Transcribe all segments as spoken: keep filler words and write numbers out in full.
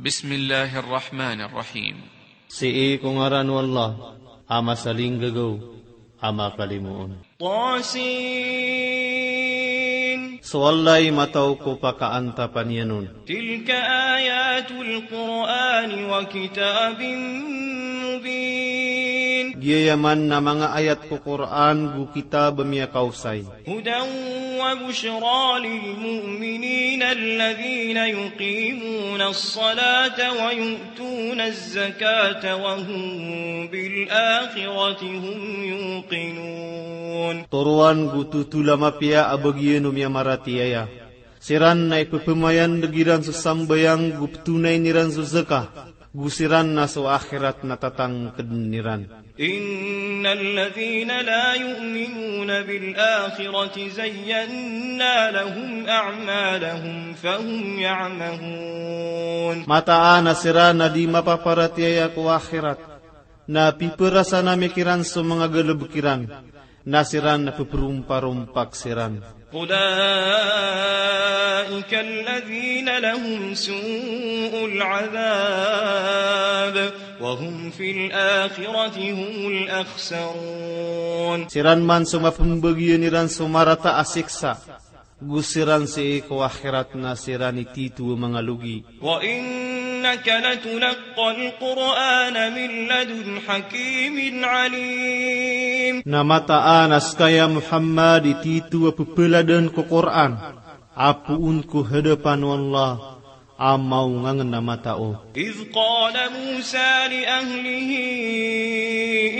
Bismillahir Rahmanir Rahim. Sii ko ngaran o Allah, a masalinggagaw, a makalimoon. Tasin. So Allah i mataw ko pakaantapan iyan on. Tilka ayatul Qur'ani wa kitabin mubin. Giyaman na manga ayat ko Qur'an go kitab a miyakaosay. Hudan wa bushra lil mu'minin alladhina yuqimunas salata wa yu'tunaz zakata wa hum bil akhirati hum yuqinun. Toroan go totol a mapiya a bagian o miyamaratiyaya. Siran na ipephamayandeg iran so sambayang go petonayn iran so zakat, go siran na so akhirat na tatangkeden iran. Innal ladhina la yu'minuna bil akhirati zayyanna lahum a'malahum fahum ya'mahun. Mataan a siran a di mapaparatiyaya ko akhirat, na piperasana mi kiran so manga galebek iran, na siran na peperomparompak siran. Ulaika alladhina lahum su'ul adhab wa hum fil akhirati humul akhsarun. Siran man so mapembagian iran so marata a siksa, go siran sii ko akhirat na siran i tito a manga logi. Wa innaka latulaqqal Qur'ana min ladun hakimin alim. Na mataan a seka ya Muhammad i tito a pepeladen ko Qur'an a poon ko hadapan o Allah a maongangen a matao. Idh qala Musa li ahlihi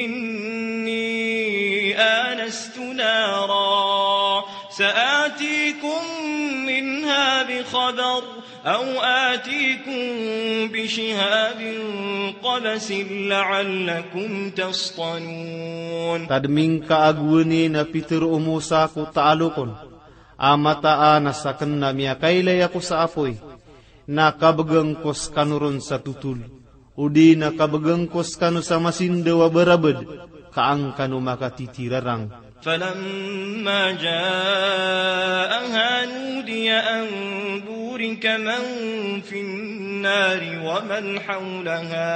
inni anastu nara sa'atikum minha bi khabar aw atikum bi shihabin qabasin la'allakum tastalun. Tadmingka a gowani na pitero o Musa ko taalok on a mataan a saken na miyakailay ako sa apoy, na kabegang ko sekano ron sa totol, odi na kabegang ko sekano sa masindaw a barabed, ka an kano makatitirarang. Falamma ja'aha nudiya an burika man fin nari wa man hawlaha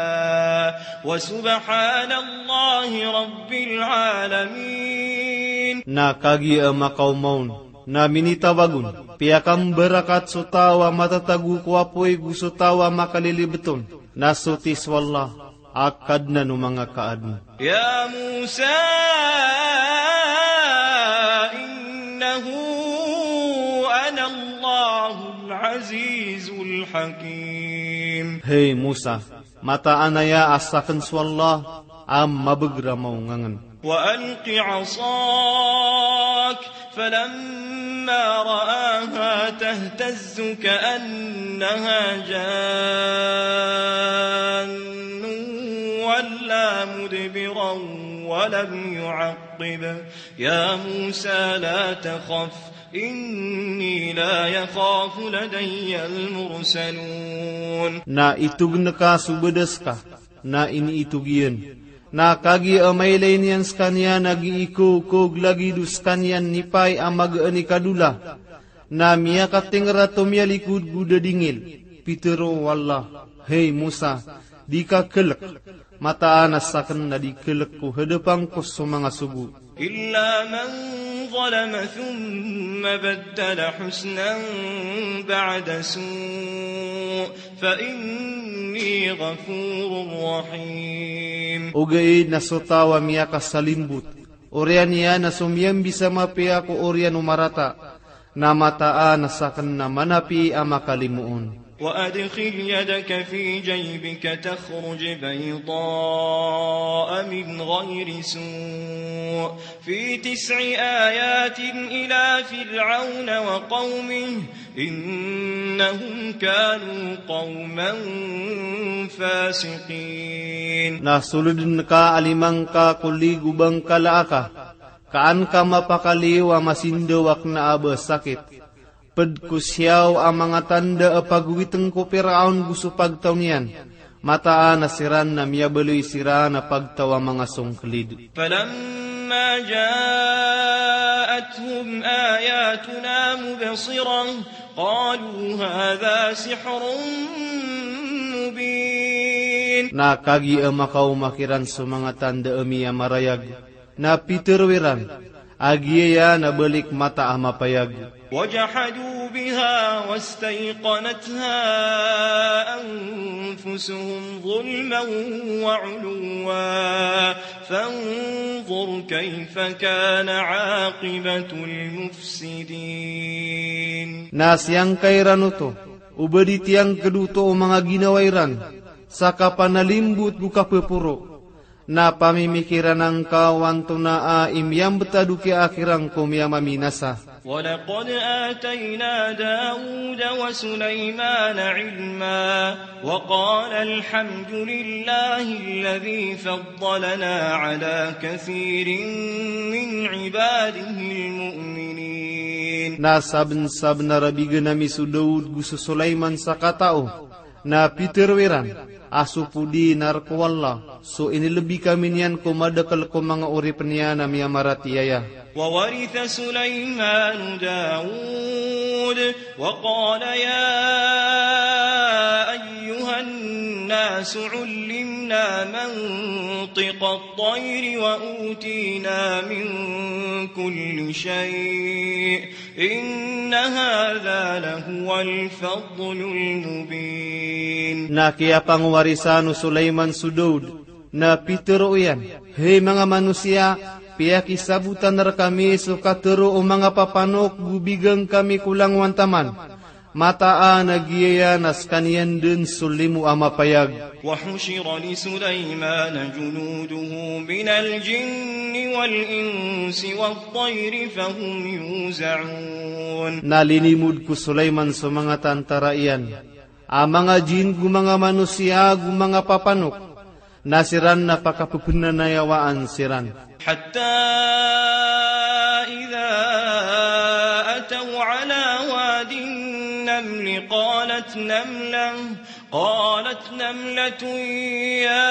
wa subhanallahi rabbil alamin. Na kagiya a makaoma on, na minitawag on, piyakambarakat so taw a matatago ko apoy go so taw a makalilibet on, na so tig so Allah a Kadnan o manga kaadn. Ya Musa, innahu ana Allahul azizul hakim. Hay Musa, mataan aya a saken so Allah a mabeger a maongangen. Wa alqi asak, falamma ra'aha tahtazzu ka'annaha jannun walla mudbiran wa lam yu'aqqib. Ya Musa la takhaf, inni la yakhafu ladayyal mursalun. Na itog ngka so badas ka, na iniitog iyan. Na kagiya a mailay niyan sekaniyan a giikokoog lagid o sekaniyan nipay a magaan i kadola, na miyakatingrat o miyalikod go dadingil. Pitero o Allah, hay Musa, di ka kelek, mataan a saken na di kelek ko hadapan ko so manga sogo. Illa man zalama thumma baddala husnan ba'da su', fa inni ghafurur rahim. Ogaid na so taw a miyakasalimbot, oriyan iyan na so miyambisa mapiya ko oriyan o marata, na mataan a saken na manapi a makalimoon. Wa adkhil yadaka fi jaybika takhruj bayda'a min ghayri su', fi tis'i ayatin ila Fir'awna wa qawmihi, innahum kanu qawman fasiqin. Na soleden ka a lima ngka ko lig o bangkala aka, ka an ka mapakaliyo a masindaw a kena a ba sakit. Ped ko siyaw a manga tanda a pagowiten ko Piraon go so pagtaw niyan, mataan a siran na miyabaloy siran a pagtaw a manga songkelid. Falamma ja'athum ayatuna mubsirah, qalu hadha sihrun Na kagiya makaoma kiran so manga tanda a miyamarayag, na pitharo iran a giyaya na balik mata a mapayag. وجحدوا بها واستيقنتها أنفسهم ظلما وعلوا فانظر كيف كان عاقبة المفسدين. Na siyangka iran oto, o ba di tiyangkd oto o manga ginawa iran sa kapanalimbot go kapphoro, na pamimikiran angka o antonaa i miyambtad o kiyaakhiran ko miyamaminasa. ولقد آتينا داود وسليمان علما وقال الحمد لله الذي فضلنا على كثير من عباده المؤمنين. Na sabnsabnar a bign ami so Daud go so Sulaiman sa katao, na pitharo iran a so podinar ko Allah so inilbi kami niyan ko madakl ko manga oripn iyan a miyamaratiyaya. وورث سليمان داود وقال يا أيها الناس علمنا منطق الطير وأوتينا من كل شيء إن هذا لهو الفضل المبين. Na kiyapangwarisan o Sulaiman so Daud, na pitharo iyan, hay manga manosiya, piyakisabotan rkami so katharo o manga papanok go bigan kami ko langowan taman. Mataan a giyaya na skaniyan dn so limo a mapayag. وحشر لسليمان جنوده من الجن والإنس والطير فهم يوزعون. Na linimod ko Sulaiman so manga tantara iyan a manga jin go manga manosiya go manga papanok, na siran na pakapphnnanayawaan siran. حتى إذا أتوا على واد النمل قالت نملة، قالت نملة يا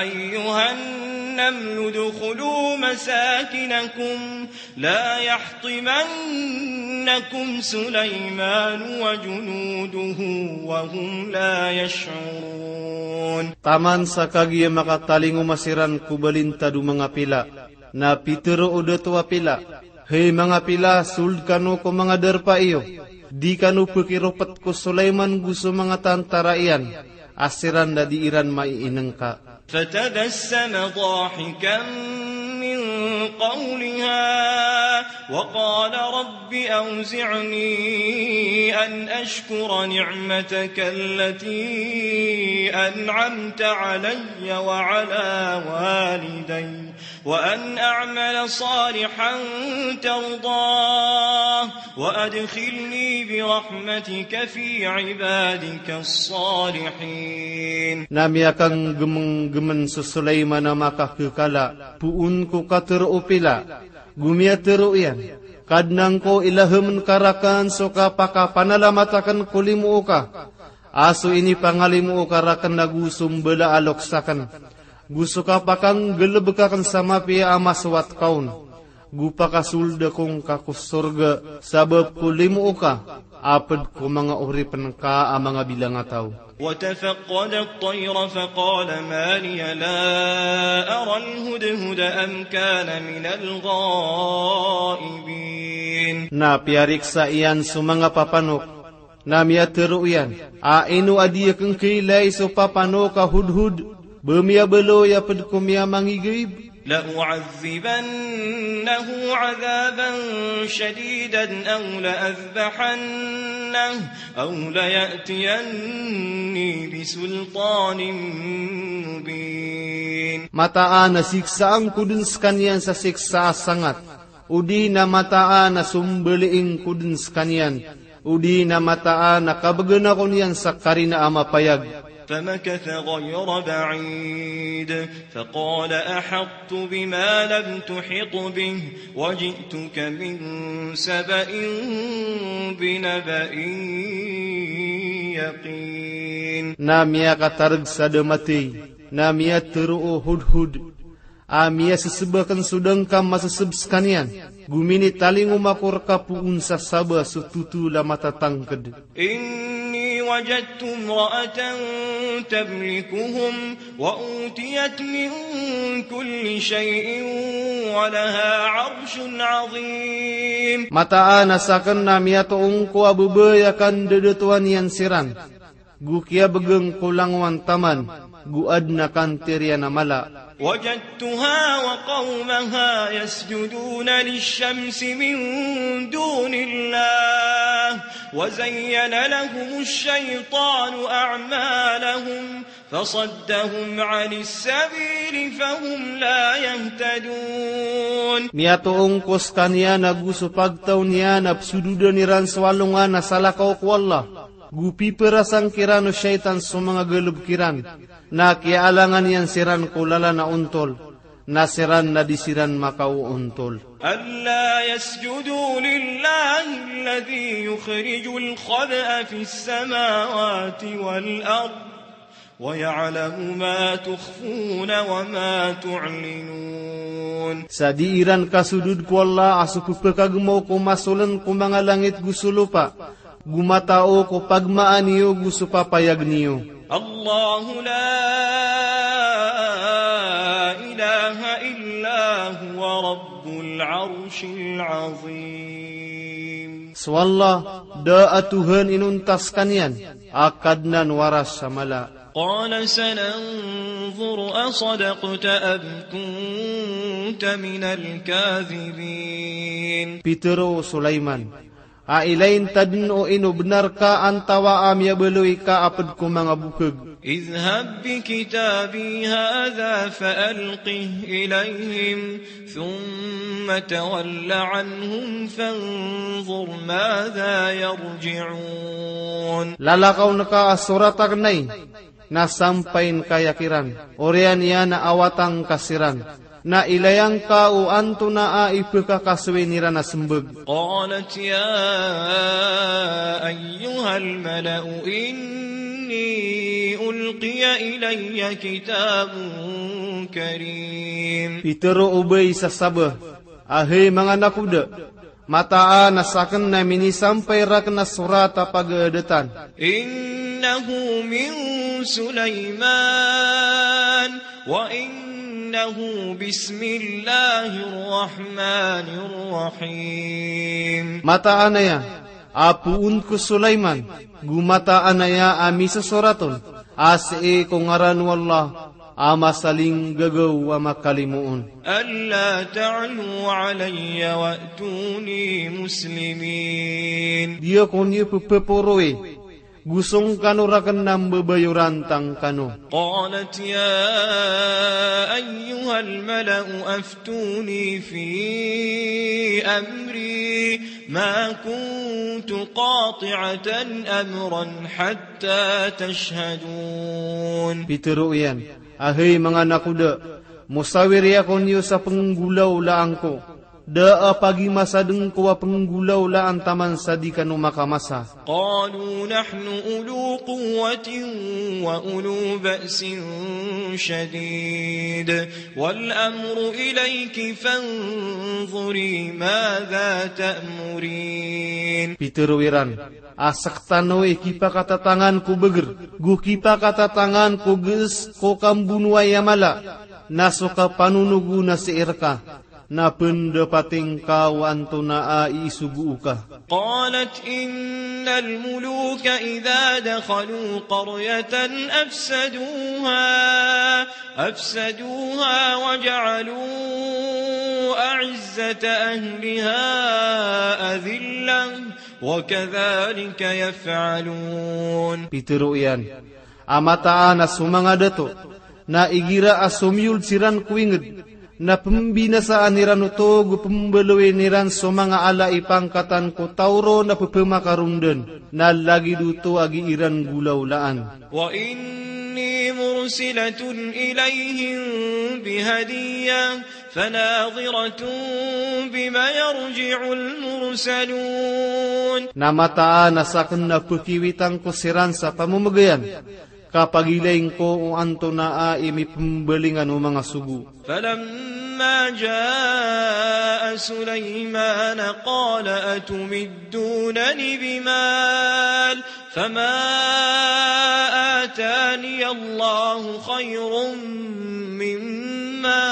أيها النمل ادخلوا مساكنكم لا يحطمنكم سليمان وجنوده وهم لا يشعرون. Taman sa kagiya makatalingoma siran ko balintad o manga pila, na pitharo o dato a pila, hay manga pila, sold kano ko manga darpa iyo, di kano pkhiropt ko Sulaiman go so manga tantara iyan, a siran na di iran maiinngka. فتبسم ضاحكا من قولها وقال رب أوزعني أن أشكر نعمتك التي أنعمت علي وعلى والدي وأن أعمل صالحا ترضاه وأدخلني برحمتك في عبادك الصالحين. Na miyakanggemenggemen so Sulaiman a makakekala poon ko katharo o pila, go miyatharo iyan, Kadnan ko, ilahemn ka raken so kapakapanalamat aken ko limo oka, a so inipangalimo oka raken ago so mbala a loks aken, go so kapakanggelebek aken sa mapiya a masowat ka on, go pakasold ako ngka ko sorga sabap ko limo oka, a ped ko manga oripen ka a manga bilangataw. وتفقد الطير فقال ما لي لا أرى الهدهد أم كان من الغائبين. Na piyariksa iyan so manga papanok, na miyatharo iyan a ino a di aken kailay so papanok a hudhud, ba miyabaloy a ped ko miyamangigaib. لأعذبنه عذابا شديدا أو لأذبحنه أو ليأتيني بسلطان مبين. Mataan a siksaan ko den sekaniyan sa siksa a sangat, odi na mataan a sombaliing ko den sekaniyan, odi na mataan a kabegen ako niyan sa karina a mapayag. فمكث غير بعيد فقال أحطت بما لم تحط به وجئتك من سبأ بنبأ يقين. Na miyakatareg sa da matey, na miyatharo o hudhud, a miyaseseb aken so da ngka maseseb sekaniyan, go minitalingoma ko reka poon sa Saba so totol a matatangked. إني وجدت امرأة تملكهم وأوتيت من كل شيء ولها عرش عظيم. Mataan a sakn na miyatoon ko a babay a kandadatoan iyan siran, go kiyabgan ko langowan taman, go adn a kantir iyan a mala. وجدتها وقومها يسجدون للشمس من دون الله وزين لهم الشيطان أعمالهم فصدهم عن السبيل فهم لا يهتدون. Miyatoon ko skaniyan a go so pagtaw niyan a psododan iran so alongan a salakaw ko Allah, go piperasang kiran o shaytan so manga galbk iran, na kiyaalangan iyan siran ko lalan a ontol, na siran na di siran makaoontol. ألا يسجدوا لله الذي يخرج الخبأ في السماوات والأرض ويعلم ما تخفون وما تعلنون. Sa di iran kasodod ko Allah a so pphakagmaw ko masoln ko manga langit go so lopa, go matao ko pagmaan iyo go so papayag niyo. الله لا إله إلا هو رب العرش العظيم. So Allah, da a Tohan inonta skaniyan, a Kadnan o Aras a mala. قال سننظر أصدقت أم كنت من الكاذبين. Pitharo o Sulaiman, a ilayin ta dn o ino bnar ka antawaa a miyabaloy ka a pd ko manga bokhag. اذهب بكتابي هذا فألقه إليهم ثم تول عنهم فانظر ماذا يرجعون. Lalakaw ngka a sorat akn ai, na sampayin ka aya kiran, oriyan iyan a awatan ka siran, na ilayan ka o antonaa i pkhakasoy iran a smbag. قالت يا أيها الملأ إني ألقي إلي كتاب كريم. Pitharo o babay sa Saba, a hay manga nakoda, mataan a sakn na minisampay rakn a sorat a pagadatan. إنه من سليمان وإنه بسم الله الرحمن الرحيم. Mataan aya a poon ko Sulaiman, go mataan aya a misosorat on a sii ko ngaran o Allah a masalinggagaw a makalimoon. ألا تعلوا علي وأتوني مسلمين. Di ako niyo pphaporowi, go song kano rakn a mbabayoran tangkano. قالت يا أيها الملأ أفتوني في أمري ما كنت قاطعة أمرا حتى تشهدون. Pitharo iyan, a hay manga nakoda, mosawiri ako niyo sa pnggolawlaan ko. Da a pagimasadn ko a pnggolawlaan taman sa di kano makamasa. قالوا نحن أولو قوة وأولو بأس شديد والأمر إليك فانظري ماذا تأمرين. Pitharo iran, a sktano i kipakatatangan ko bagr, go kipakatatangan ko gs ko kambonoay a mala, na so kapanonog on na sii rka, na pndapati ngka o antonaa i isogo oka. قالت إن الملوك إذا دخلوا قرية أفسدوها، أفسدوها وجعلوا أعزة أهلها أذلة، وكذلك يفعلون. Pitharo iyan, a mataan a so manga dato, na igira a somiyold siran ko ingd, na pmbinasaan iran oto go pmbaloyin iran so manga ala i pangkatan ko taw ron a pphamakarondn, na lagid oto a gii ran golawlaan. وإني مرسلة إليهم بهدية فناظرة بم يرجع المرسلون. Na mataan a sakn na pkiwitang ko siran sa pamomgayan, ka pagilay ngko o antonaa i mipmbalingan o manga sogo. فلما ما جاء سليمان قال أتمدونني بمال فما آتاني الله خير مما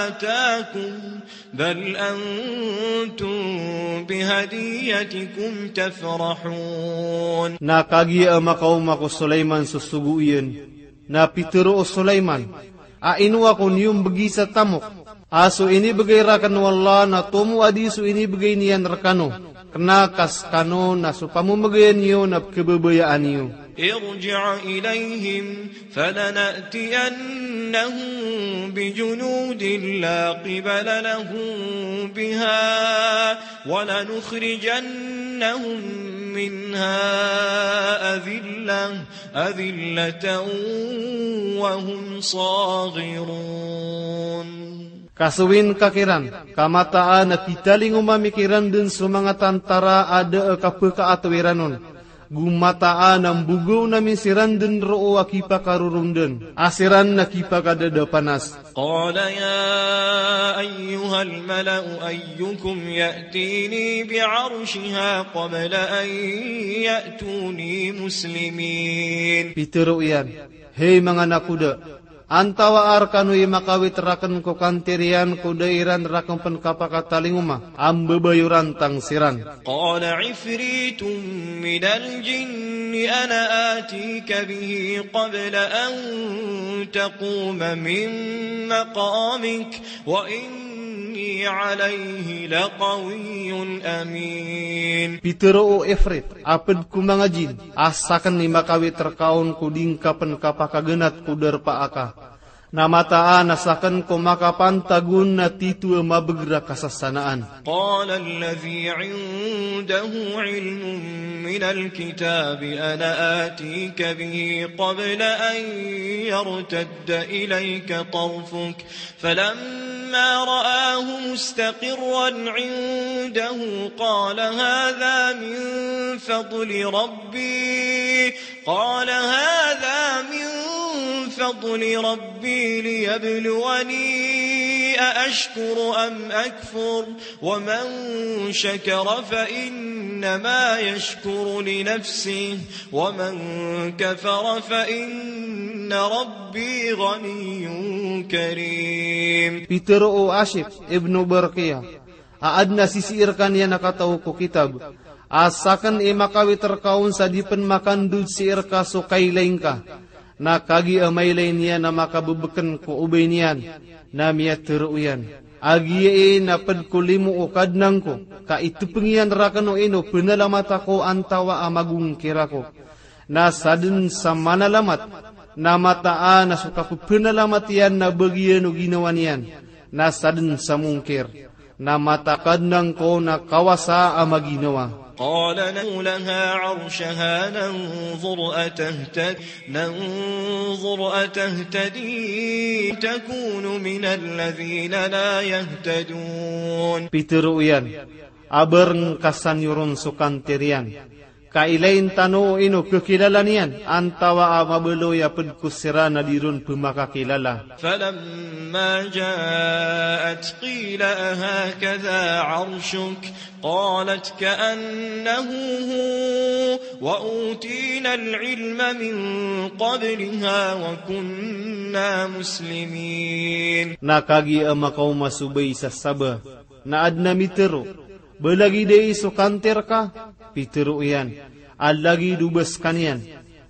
آتاكم بل أنتم بهديتكم تفرحون. Na kagiya a makaoma ko Sulaiman so sogo iyan, na pitharo o Sulaiman, a ino ako niyo mbgi sa tamok a so inibgay raken o Allah na tomo a di so inibgay niyan rekano, kena ka sekano na so pamemegay niyo na pkhababayaan iyo. ارجع إليهم فلنأتينهم بجنود لا قبل لهم بها ولنخرجنهم منها أذلة أذلة وهم صاغرون. Kasowin ka kiran, ka mataan a pitalingoma mi kiran den so manga tantara a da a kapekaato iran on. Go mataan a mbogaon ami siran den roo a kipakarorondan a siran na kipakadadapanas. قال يا أيها الملأ أيكم يأتيني بعرشها قبل أن يأتوني مسلمين. Pitharo iyan, hey manga nakoda, antawaa rekano i makawit raken ko kantir iyan ko da iran raken pen kapakatalingoma a mbabayorantang siran. قال عفريت من الجن أنا آتيك به قبل أن تقوم من مقامك وإني عليه لقوي أمين. Pitharo o Ifrit a ped ko manga jin a saken i makawit reka on ko di ngka pen kapakagenat ko darpa aka. Na mataan a saken ko makapantag on na tito a mabegr a kasasanaan. قال الذي عنده علم من الكتاب أنا آتيك به قبل أن يرتد إليك طرفك فلما رآه مستقرا عنده قال هذا من فضل ربي قال هذا من فضل ربي ليبلوني أأشكر أم أكفر ومن شكر فإنما يشكر لنفسه ومن كفر فإن ربي غني كريم. Pitharo o Asif ibnu Barqiya, a aden a sisii rekaniyan a kataw ko kitab, a saken i makawit reka on sa di pen makandod sii reka so kailay ngka. Na kagiya a mailay niyan a makabebeken ko obay niyan, na miyatharo iyan a giyai na ped ko limo o Kadnan ko ka itepeng iyan raken o ino penalamat ako antawaa magongkir ako. Na saden sa manalamat, na mataan a so kapepenalamat iyan na bagian o ginawa niyan, na saden sa mongkir. Na mataan a Kadnan ko na kawasa a maginawa. قال ادع لها عرشها ننظر أتهتدي ننظر أتهتدي تكون من الذين لا يهتدون. Pitharo iyan, a bareng ka san iyo ron so kantir iyan, ka ilayin tano o ino kekilala niyan, antawaa mabaloy a ped ko siran a di ron pemakakilala. فلما جاءت قيل أهكذا عرشك قالت كأنه هو وأوتينا العلم من قبلها وكنا مسلمين. Na kagiya a makaoma so bay sa saba, na aden a mitharo, ba lagid ai so kantir ka? Pitharo iyan a lagid o ba sekaniyan,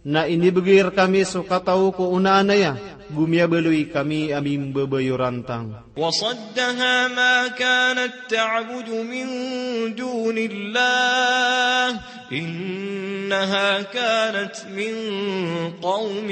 na inibegay rekami so kataw ko onaan aya, go miyabaloy kami a mimbabayorantang. وصدها ما كانت تعبد من دون الله إنها كانت من قوم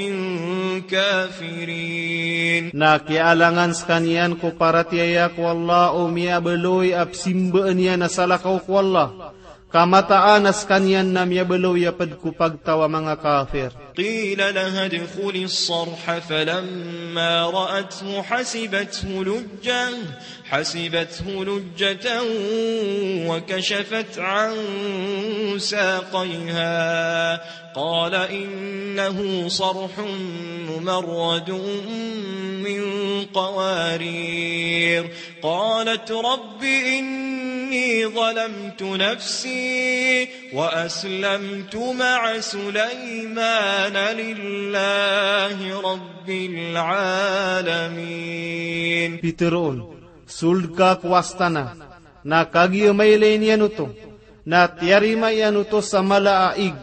كافرين. Na kiyaalangan sekaniyan ko paratiyaya ko Allah o miyabaloy a pesimbaan iyan a salakaw ko Allah, Ka mataan a skaniyan na miyabaloy a pd ko pagtaw a manga kafir. قيل لها ادخلي الصرح فلما رأته حسبته لجة، حسبته لجة وكشفت عن ساقيها. قال إنه صرح ممرد من قوارير. قالت رب إني ظلمت نفسي وأسلمت مع سليمان لله رب العالمين. Pitharo on, sold ka ko astana, na kagiya mailay niyan oto, na tiyarima iyan oto sa mala a ig,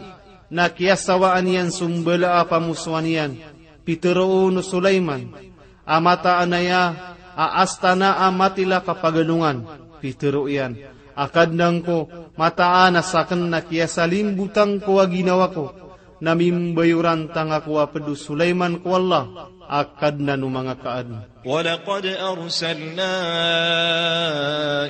na kiyasawaan iyan so mbala a pamosowan iyan. Pitharo on o Sulaiman a mataan aya a astana a matila kapagalongan. Pitharo iyan a Kadnan ko, mataan a sakn na kiyasalimbotan ko a ginawa ko, na mimbayoran tano ko a pd o Sulaiman ko Allah a Kadnan o manga kaadn. ولقد أرسلنا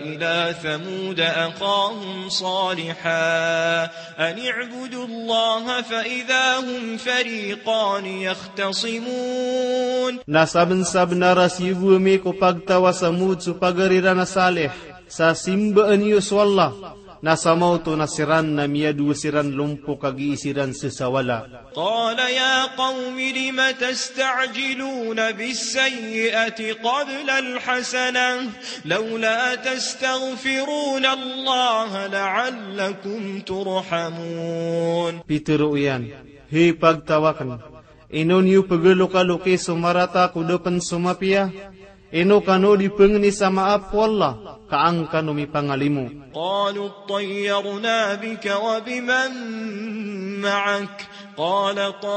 إلى ثمود أخاهم صالحا أن اعبدوا الله فإذا هم فريقان يختصمون. Na sabnsabnar a siyogo ami ko pagtaw a Samud so pagari ran a Salih, sa simbaan iyo so Allah, na samaoto na siran na miyadowa siran lompok a gii siran sasawala. قال يا قوم لم تستعجلون بالسيئة قبل الحسنة لولا تستغفرون الله لعلكم ترحمون. Pitharo iyan, hay pagtaw akn, ino niyo pagalokalokis so marata ko da pn so mapiya? Ino kano di pangni sa maap o Allah, ka an kano mipangalimo? قالوا اطيرنا بك وبمن معك قال طائركم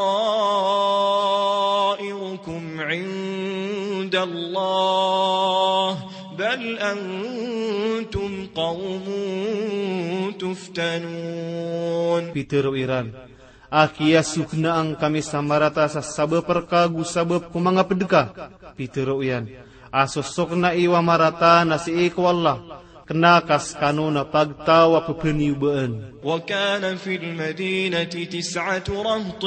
عند الله بل أنتم قوم تفتنون. Pitharo iran, a kiyasoknaan kami sa marata sa sabap rka ago sabap ko manga pd ka. Pitharo iyan, a so sokna iyo a marata na sii ko Allah, kna ka skano na pagtaw a pphaniyoba an. وكان في المدينة تسعة رهط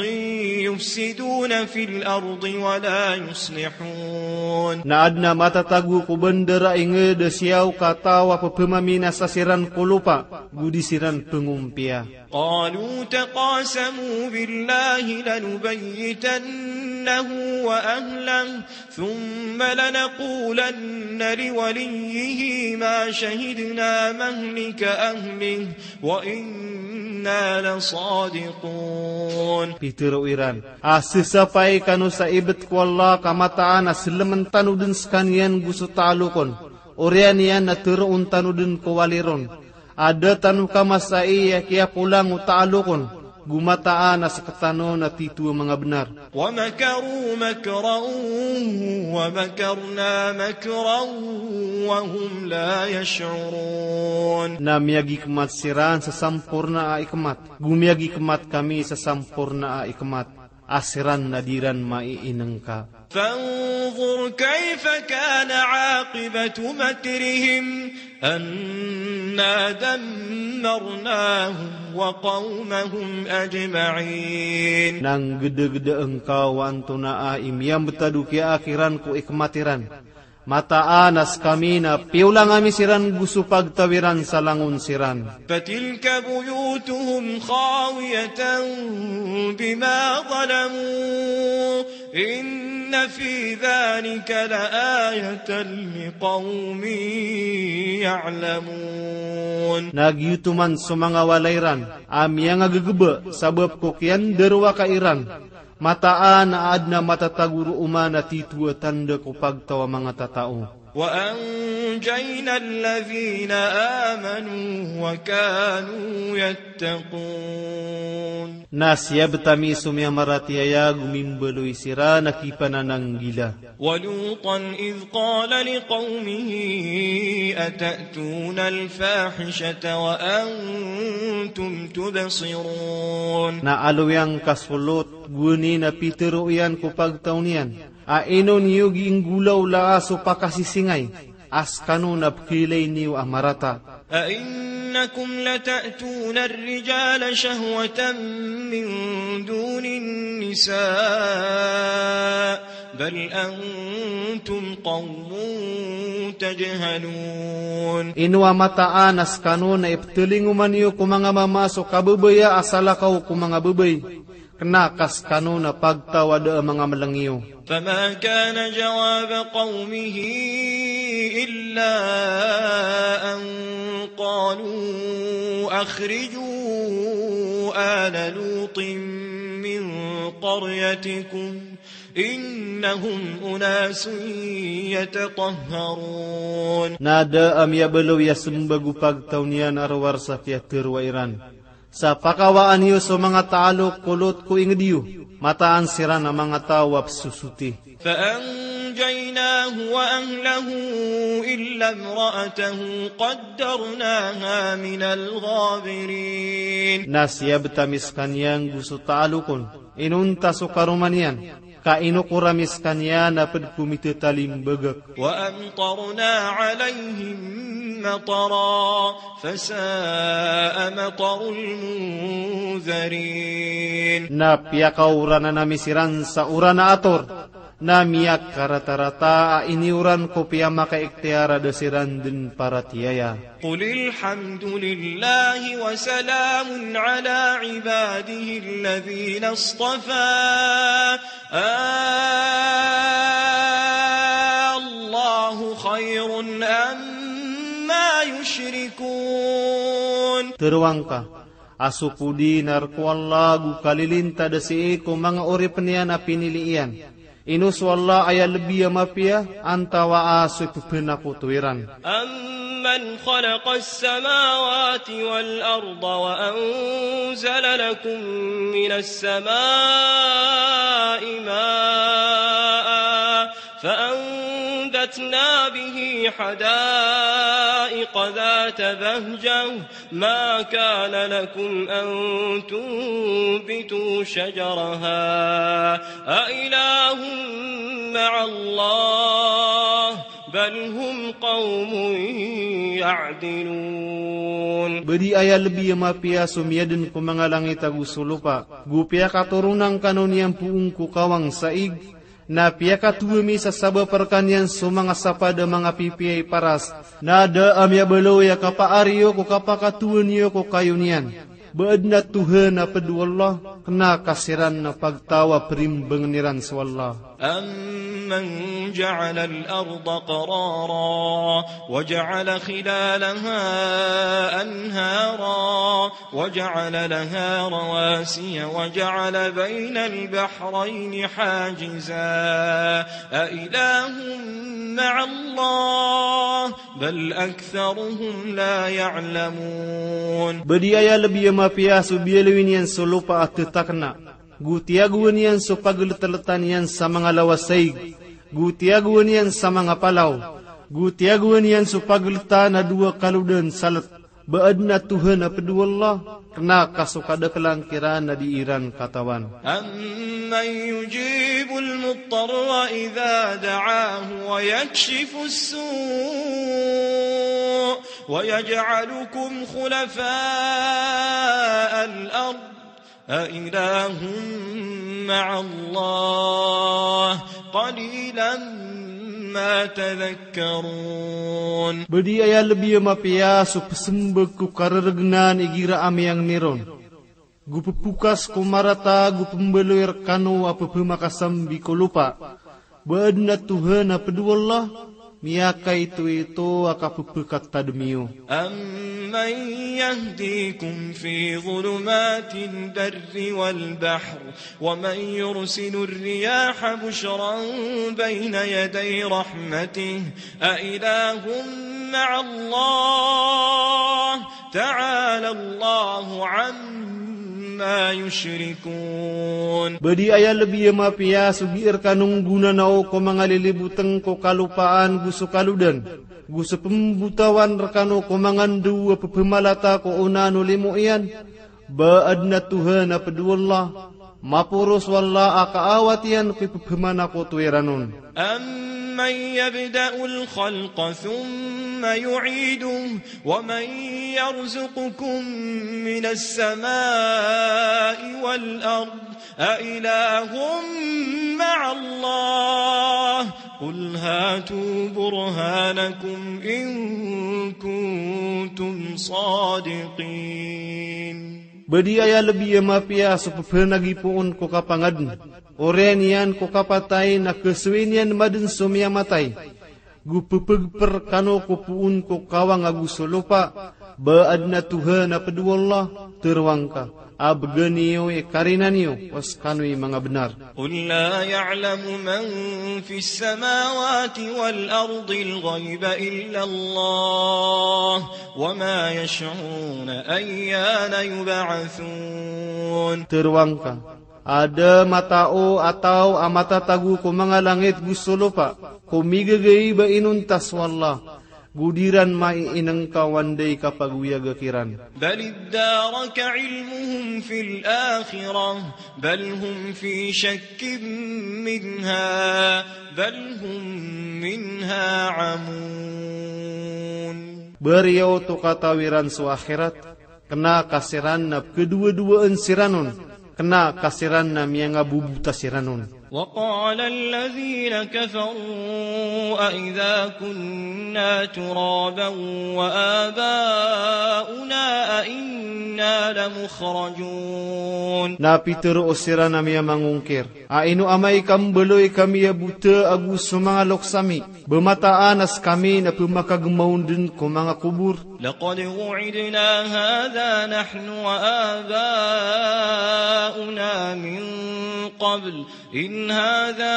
يفسدون في الأرض ولا يصلحون. Na adn a matatago ko bandar a ingd a siyaw ka taw a pphamaminasa siran ko lopa, go di siran pngompiya. قالوا تقاسموا بالله لنبيتنه وأهله ثم لنقولن لوليه ما شهدنا مهلك أهله وإنا لصادقون. Pitharo iran, a sasapay kano sa ibt ko Allah ka mataan a slmn tano dn skaniyan go so taalok on, oriyan iyan na tharoon tano dn ko wali ron. A da tano kamasai a kiyapolang o taalok on, go mataan a sktano na titho a manga bnar. ومكروا مكرا ومكرنا مكرا وهم لا يشعرون. Na miyagikmat siran sa samporna a ikmat, go miyagikmat kami sa samporna a ikmat, a siran na di ran maiinngka. فانظر كيف كان عاقبة مكرهم أنا دمرناهم وقومهم أجمعين. Na nggdagda ngka o antonaa i miyambtad o kiyaakhiran ko ikmat iran. Mataan a skami na piyolang ami siran go so pagtaw iran sa langon siran. فتلك بيوتهم خاوية بما ظلموا إن في ذلك لآية لقوم يعلمون. Na giyoto man so manga walay ran a miyangagagba sabap ko kiyandarowaka iran. Mataan a adn a matatago roo man a titho a tanda ko pagtaw a manga tatao. وأنجينا الذين آمنوا وكانوا يتقون. Na siyabt ami so miyamaratiyaya go mimbaloy siran a kipanananggila. ولوطا إذ قال لقومه أتأتون الفاحشة وأنتم تبصرون. Na aloy angka so Lot, gowani na pitharo iyan ko pagtaw niyan, a ino niyo gii nggolawlaa so pakasisingay, a skano na pkhailay niyo a marata. أئنكم لتأتون الرجال شهوة من دون النساء بل أنتم قوم تجهلون. Ino a mataan a skano na ipthelingoman iyo ko manga mama so kabebaya a salakaw ko manga bebay? Kena ka skano na pagtaw a da a manga meleng iyo. فما كان جواب قومه إلا أن قالوا أخرجوا آل لوط من قريتكم إنهم أناس يتطهرون. Na da a miyabaloy a sembag o pagtaw niyan a rowar sa kiyateroa iran. Sa pakawaan iyo so manga talok ko Lot ko inged iyo, mataan siran a manga taw a pesosoti. فأنجيناه وأهله إلا امرأته قدرناها من الغابرين. Na siyabet ami sekaniyan go so talok on, inonta so karoma niyan, ka inokor ami sekaniyan a ped ko mitatalim bagak. وأمطرنا عليهم مطرا فساء مطر المنذرين. Na piyakaoranan ami siran sa oran a ator, na miyakaratarata a iniyoran ko piyamakaikhtiyar a da siran den paratiyaya. قل الحمد لله وسلام على عباده الذين اصطفى آلله خير أما يشركون. Teroang ka, a so podi na rek o Allah go kalilintad sii ko manga oripen iyan a pinili iyan. Ino so Allah aya lebi a mapiya, antawaa so ipepenakoto iran. أمن خلق السماوات والأرض وأنزل لكم من السماء ماء فأنبتنا به حدائق ذات بهجة ما كان لكم أن تنبتوا شجرها أإله مع الله بل هم قوم يعدلون. Ba di aya lebi a mapiya so miyaden ko manga langit ago so lopa, go piyakatoron angkano niyan poon ko kawang sa ig, na piyakatowa mi sa sabap rekaniyan so manga sapad a manga pipiya i paras, na da a miyabaloy a kapaari iyo ko kapakatowa niyo ko kayo niyan. Ba aden a Tohan a ped o Allah, kena ka siran na pagtaw a perimbangen iran so Allah. أمن جعل الأرض قرارا وجعل خلالها أنهارا وجعل لها رواسي وجعل بين البحرين حاجزا أإله مع الله بل أكثرهم لا يعلمون. Ba di aya lebi a mapiya so biyaloy niyan so lopa a tetakena, go tiyagowan iyan so pageleteletan iyan sa manga lawas a ig, go tiyagowan iyan sa manga palaw, go tiyagowan iyan so pageleta na dowa kalodan sa let. Ba aden a Tohan a ped o Allah, kena ka so kadakelan kiran na di iran katawan. أمن يجيب المضطر إذا دعاه ويكشف السوء ويجعلكم خلفاء الأرض أإله مع الله قليلا ما تذكرون. Ba di aya lebi a mapiya so pesembag ko kareregenan igira a miyangni ron, go pepokas ko marata go pembaloy rekano a pepemakasambi ko lopa. Ba aden a Tohan a ped o Allah, miyakaitoito a kapepekatadem iyo. أمن يهديكم في ظلمات البر والبحر ومن يرسل الرياح بشرا بين يدي رحمته أإله مع الله تعالى الله عما يشركون. Ba di aya lebi a mapiya so gii rekano nggonanao ko manga liliboteng ko kalopaan go so kalodan, go so pembotawan rekano ko manga ndew a pepemalata ko onaan o limo iyan. Ba aden a Tohan a ped o Allah, maporos o Allah a kaawat iyan ko ipepemanakoto iran on. أمن من يبدأ الخلق ثم يعيده ومن يرزقكم من السماء والأرض أإله مع الله قل هاتوا برهانكم إن كنتم صادقين. Ba di aya lbi a mapiya so pphanagipoon ko kapangadn, oriyan iyan ko kapatay na khasowii niyan madn so miyamatay. Go pphagpr kano ko poon ko kawang ago so lopa, ba adn a Tohan a pd o Allah, tharoang ka, a bgan iyo i karina niyo, o skano i manga bnar. قل لا يعلم من في السماوات والأرض الغيب إلا الله وما يشعرون أيان يبعثون. Tharoang ka, a da matao a taw a matatago ko manga langit go so lopa, ko migagaib a inonta so Allah, go di ran maiinngka o anda i kapagoyaga kiran. بل ادارك علمهم في الآخرة بل هم في شك منها بل هم منها عمون. Ba riyaot o katawi ran so akhirat, kna ka siran na pkhadowadowaan siran on, kna ka siran na miyangabobota siran on. وقال الذين كفروا أإذا كنا ترابا وآباؤنا أإنا لمخرجون. Na pitharo siran a miyamangongkir, a ino amay ka mbaloy kami a bota ago so manga loks ami, ba mataan a skami na pmakagmaon dn ko manga kobor. لقد وعدنا هذا نحن وآباؤنا من قبل إن هذا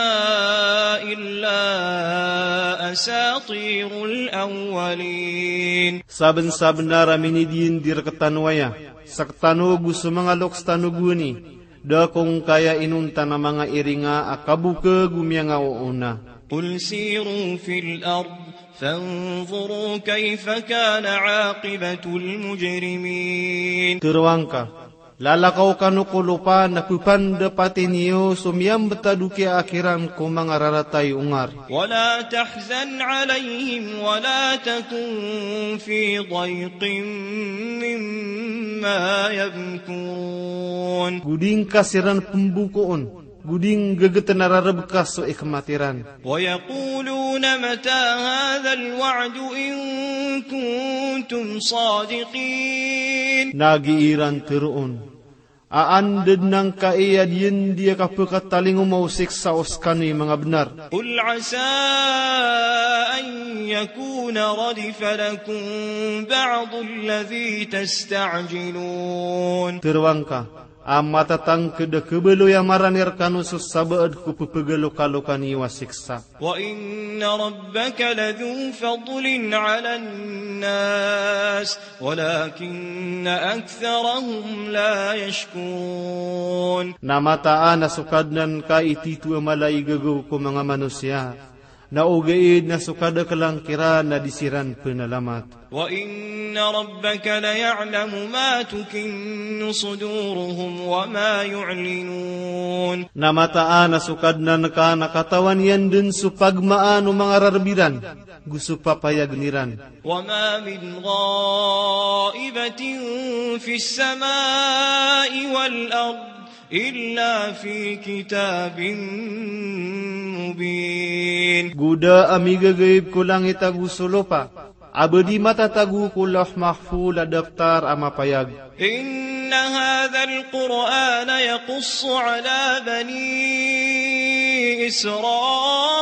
إلا أساطير الأولين. Sabnsabnar a minidiyandi rktano aya, sktano ago so manga loks tano gowani, da ko ngkaya inonta na manga iringa a kabok ago miyangaoona. قل سيروا في الأرض فانظروا كيف كان عاقبة المجرمين. Tharoang ka, lalakaw kano ko lopa na pphapandapati niyo so miyambtad o kiyaakhiran ko manga rarata i ongar. ولا تحزن عليهم ولا تكن في ضيق مما يمكرون. Go di ngka siran pmbokoon, go di ngggt na rarebka so ikmat iran. ويقولون متى هذا الوعد إن كنتم صادقين. Na gii ran tharoon, a anda dn angkai a diyandi a kapkatalingoma o siksa o skano i manga bnar. قل عسى أن يكون ردف لكم بعض الذي تستعجلون. Tharoang ka, a matatangkd a khabaloy a marani rkano so sabaad ko pphagalokalokani o siksa. وإن ربك لذو فضل على الناس ولكن أكثرهم لا يشكرون. Na mataan a so Kadnan ka i titho a mala i gagaw ko manga manosiya. Na ogaid na so kadaklan kiran na di siran pnalamat. وإن ربك ليعلم ما تكن صدورهم وما يعلنون. Na mataan a so Kadnan ka na katawan iyan dn so pagmaan o manga rarb iran, go so papayagn iran. وما من غائبة في السماء والأرض إلا في كتاب مبين. Go da a migagaib ko langit ago so lopa, a ba di matatago ko Lawh Mahfuz a daptar a mapayag. إن هذا القرآن يقص على بني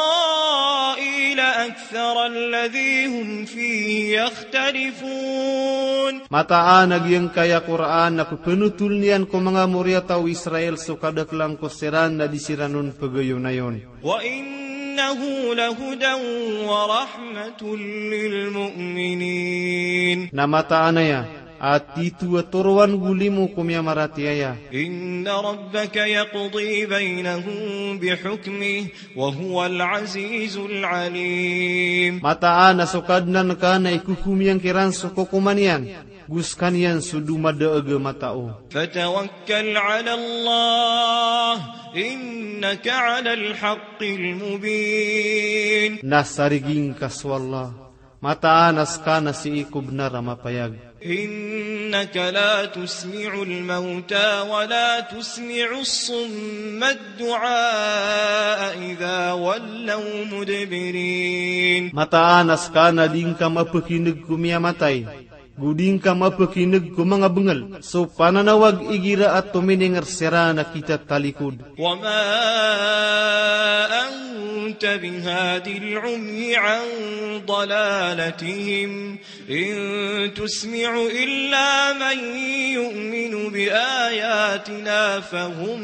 إسرائيل أكثر الذي هم فيه يختلفون. Mataan a giyangkaya Qur'an na pphanotol iyan ko manga moriyataw o Israel so kadaklan ko siran na di siran on pagayonayon. وإنه لهدى ورحمة للمؤمنين. Na mataan aya a titho a toroan go limo ko miyamaratiyaya. إن ربك يقضي بينهم بحكمه وهو العزيز العليم. Mataan a so Kadnan ka na ikokom iyan kiran so kokoman iyan, go skaniyan so domadaag a matao. فتوكل على الله إن إنك على الحق المبين. Na sarigi ngka so Allah, mataan a ska na sii ko bnar a mapayag. إنك لا تسمع الموتى ولا تسمع الصم الدعاء إذا ولوا مدبرين. Mataan a ska na di ngka mapakineg ko miyamatay, go di ngka mapakineg ko manga bengel so pananawag igira a tomining er siran a kitatalikod. وما أنت بهاد العمي عن ضلالتهم إن تسمع إلا من يؤمن بآياتنا فهم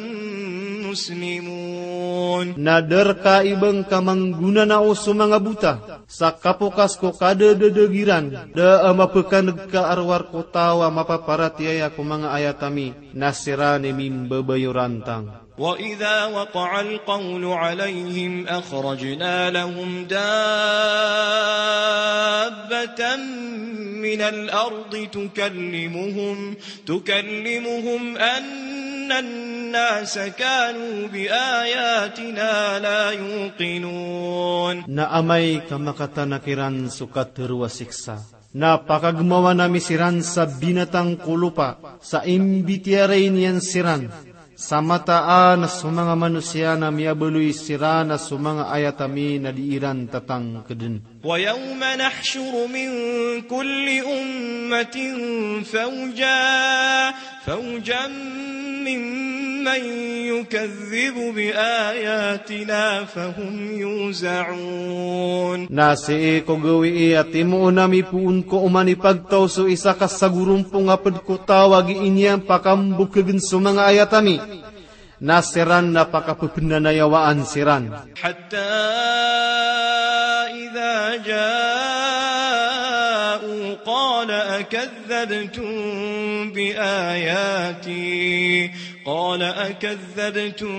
مسلمون. Na da rka i ba ngka manggonanao so manga bota sa kapokas ko kadadadeg iran, da a mapakaneg ka a rowar ko taw a mapaparatiyaya ko manga ayat ami, na siran i mimbabayorantang. وإذا وقع القول عليهم أخرجنا لهم دابة من الأرض تكلمهم تكلمهم أن الناس كانوا بآياتنا لا يوقنون. Na amay ka makatanak iran so katero a siksa, na pakagemawan ami siran sa binatang ko lopa sa imbitiyarai niyan siran, sa mataan a so manga manosiya na miyabaloy siran a so manga ayat ami na di iran tatangkeden. ويوم نحشر من كل أمة فوجا، فوجا ممن يكذب بآياتنا فهم يوزعون. Na sii ko gawii a timoon ami poon ko oman i pagtaw so isa ka sagorompong a ped ko taw a gii niyan pakambokegen so manga ayat ami, na siran na pakapepenanayawaan siran. حتى إذا جاءوا قال أكذبتم بآياتي، قال أكذبتم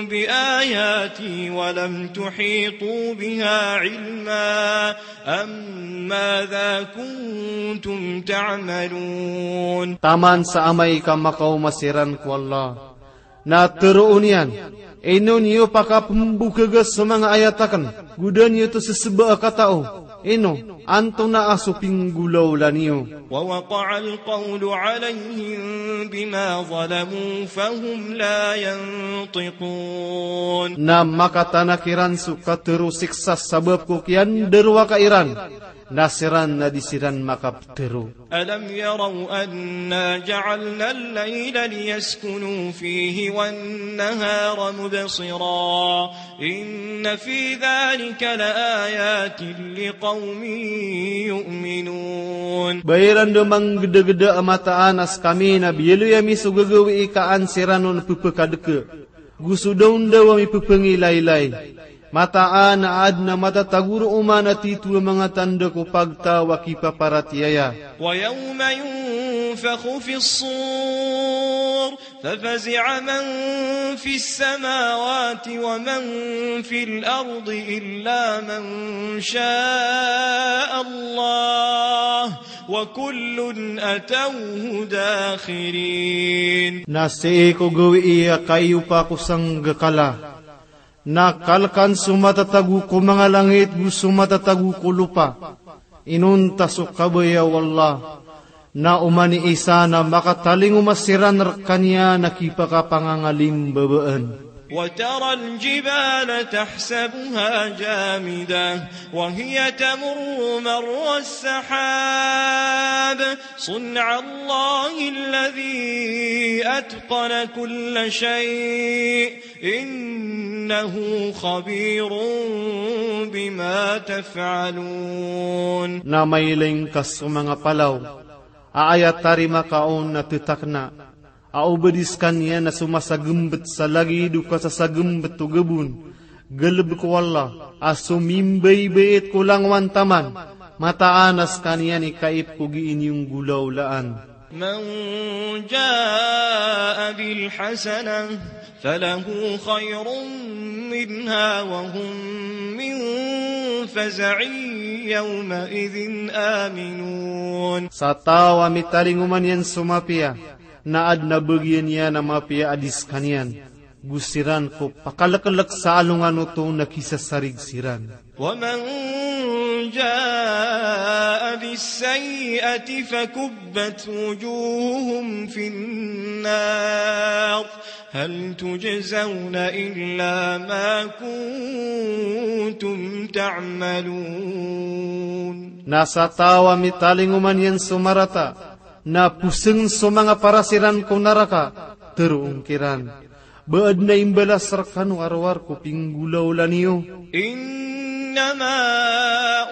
بآياتي ولم تحيطوا بها علما أم ماذا كنتم تعملون. Taman sa amay ka makaoma siran ko Allah, na teroon iyan, ino niyo pakapembokega so manga ayat aken, go da niyo to seseba a katao, ino, antonaa so pinggolawla niyo. ووقع القول عليهم بما ظلموا فهم لا ينطقون. Na makatanak iran so katero siksa sabap ko kiyandarowaka iran, na siran na di siran makapetero. ألم يروا أنا جعلنا الليل ليسكنوا فيه والنهار مبصرا إن في ذلك لآيات لقوم يؤمنون. Ba iran da manggedageda a mataan a sekami na biyaloy ami so gagawii ka an siran on pepekadeke, go so daondaw a mipepengilaylay. Mataan a aden a matatago roo man a tito a manga tanda ko pagtaw a kipaparatiyaya. ويوم ينفخ في الصور ففزع من في السماوات ومن في الأرض إلا من شاء الله وكل أتوه داخرين. Na sii ko gawii a kaiyopa ko sanggakala, na kalekan so matatago ko manga langit go so matatago ko lopa. Inonta so kabaya o Allah, na oman i isa na makatalingoma siran rekaniyan a kipakapangangalimbabaan. وترى الجبال تحسبها جامدة وهي تمر مر السحاب صنع الله الذي أتقن كل شيء إنه خبير بما تفعلون. Na mailay ngka so manga palaw a aya tarima ka on a tetakna, a o ba di sekaniyan a somasagembet sa lagid o kasasagembet o gabon, galebek o Allah a somimbaybayt ko langowan taman, mataan a sekaniyan i kaip ko gii niyo nggolawlaan. من جاء بالحسنة فله خير منها وهم من فزع يومئذ آمنون. Sa taw a mitalingoma niyan so mapiya, na aden a bagian iyan a mapiya a di sekaniyan. Go siran ko pakalklk sa alongan oto na kisasarig siran. ومن جاء بالسيئة فكبت وجوههم في النار هل تجزون إلا ما كنتم تعملون. Na sa taw a mitalingoma niyan so marata, na posng so manga paras iran ko naraka, teroon kiran. Ba adn a imbalas rkano a rowar ko pinggolawla niyo. إنما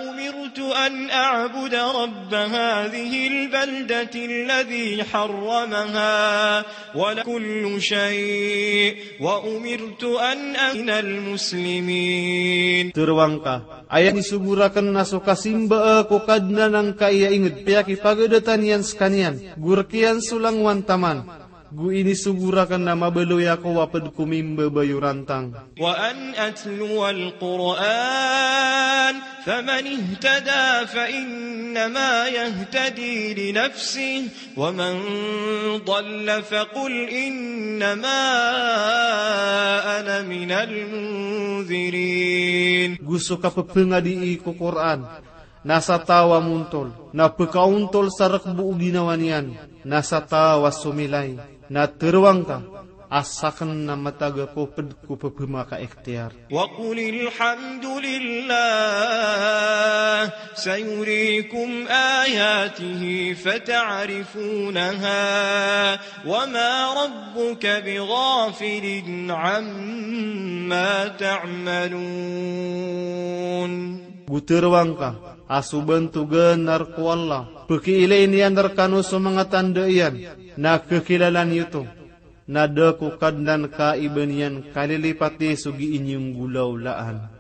أمرت أن أعبد رب هذه البلدة الذي حرمها وله كل شيء وأمرت أن أكون من المسلمين. Teroang ka, aya inisogo rakn na so kasimba ko Kadnan angkai a ingd piyakipagadatan iyan skaniyan, go rk iyan so langowan taman. Go inisogo rakn na mabaloy ako a pd ko mimbabayorantang. وأن أتلو القرآن فمن اهتدى فإنما يهتدي لنفسه ومن ضل فقل إنما أنا من المنذرين. Go so kapphangadi ko Qur'an, na sa taw a montol, na pkaontol sa rk bo o ginawa niyan, na sa taw a somilay, na teroang ka, a sakn na matag ako pd ko pphamakaikhtiyar. وقل الحمد لله سيريكم آياته فتعرفونها وما ربك بغافل عما تعملون. Go teroang ka, a so bantogan na rk o Allah, pkiilay niyan rkano so manga tanda iyan, na kkilala niyo oto. Na da ko Kadnan ka i ba niyan kalilipati so gii niyo nggolawlaan.